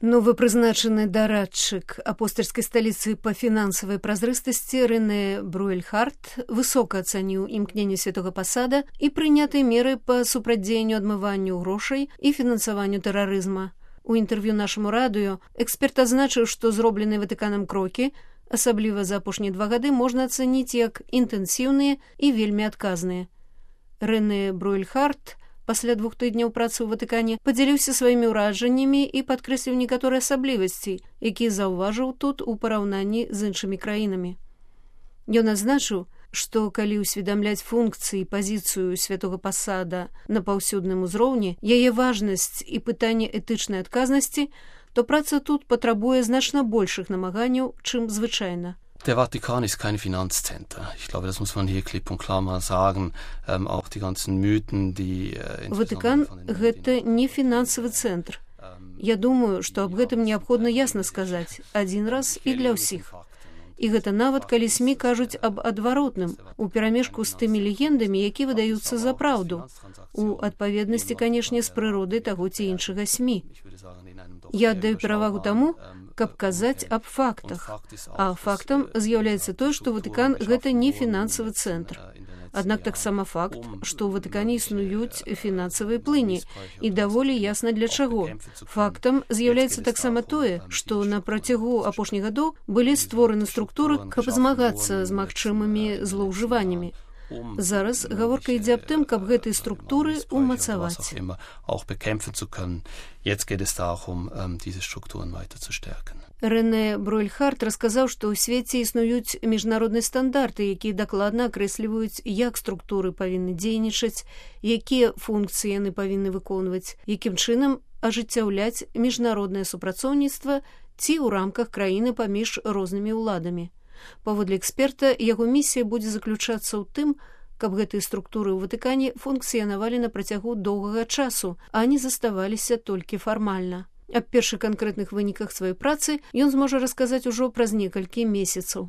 Новы прызначаны дарадчык апостальскай сталіцы па фінансавай празрыстасці Рэне Бруэльхарт высока ацаніў імкненне святога пасада і прынятыя меры па супрацьдзеянню адмыванню грошай і фінансаванню тэрарызма. У інтэрв'ю нашаму радыё эксперт адзначыў, што зробленыя Ватыканам крокі, асабліва за апошнія 2 гады, можна ацаніць як інтэнсіўныя і вельмі адказныя. Рэне Бруэльхарт пасля 2 тыдняў працы ў Ватыкане падзяліўся сваімі ўражаннямі і падкрэсліў некаторыя асаблівасці, якія заўважыў тут у параўнанні з іншымі краінамі. Ён адзначыў, што калі ўсведамляць функцыі і пазіцыю святога пасада на паўсюдным узроўні, яе важнасць і пытанне этычнай адказнасці, то праца тут патрабуе значна большых намаганняў, чым звычайна. Der Vatikan ist kein Finanzzentrum. Ich glaube, das muss man hier klipp und klar mal sagen. Auch die ganzen Mythen, die... Ватыкан – гэта не фінансавы цэнтр. Я думаю, што аб гэтым неабходна ясна сказаць адзін раз і для ўсіх. І гэта нават, калі СМІ кажуць аб адваротным, у перамешку з тымі легендамі, якія выдаюцца за праўду, у адпаведнасці, канешне, з прыродай таго ці іншага СМІ. Я аддаю перавагу таму, каб казаць аб фактах. А фактам з'яўляецца тое, што Ватыкан – гэта не фінансавы цэнтр. Аднак таксама факт, што ў Ватыкане існуюць фінансавыя плыні, і даволі ясна для чаго. Фактам з'яўляецца таксама тое, што на працягу апошніх гадоў былі створаны структуры, каб змагацца з магчымымі злоўжываннямі. Зараз гаворка ідзе аб тым, каб гэтыя структуры умацаваць. Рэне Бруэльхарт расказаў, што ў свеце існуюць міжнародныя стандарты, якія дакладна акрэсліваюць, як структуры павінны дзейнічаць, якія функцыі яны павінны выконваць, якім чынам ажыццяўляць міжнароднае супрацоўніцтва ці ў рамках краіны паміж рознымі ўладамі. Паводле эксперта, яго місія будзе заключацца ў тым, каб гэтыя структуры ў Ватыкане функцыянавалі на працягу доўгага часу, а не заставаліся толькі фармальна. Аб першых канкрэтных выніках сваёй працы ён зможа расказаць ужо праз некалькі месяцаў.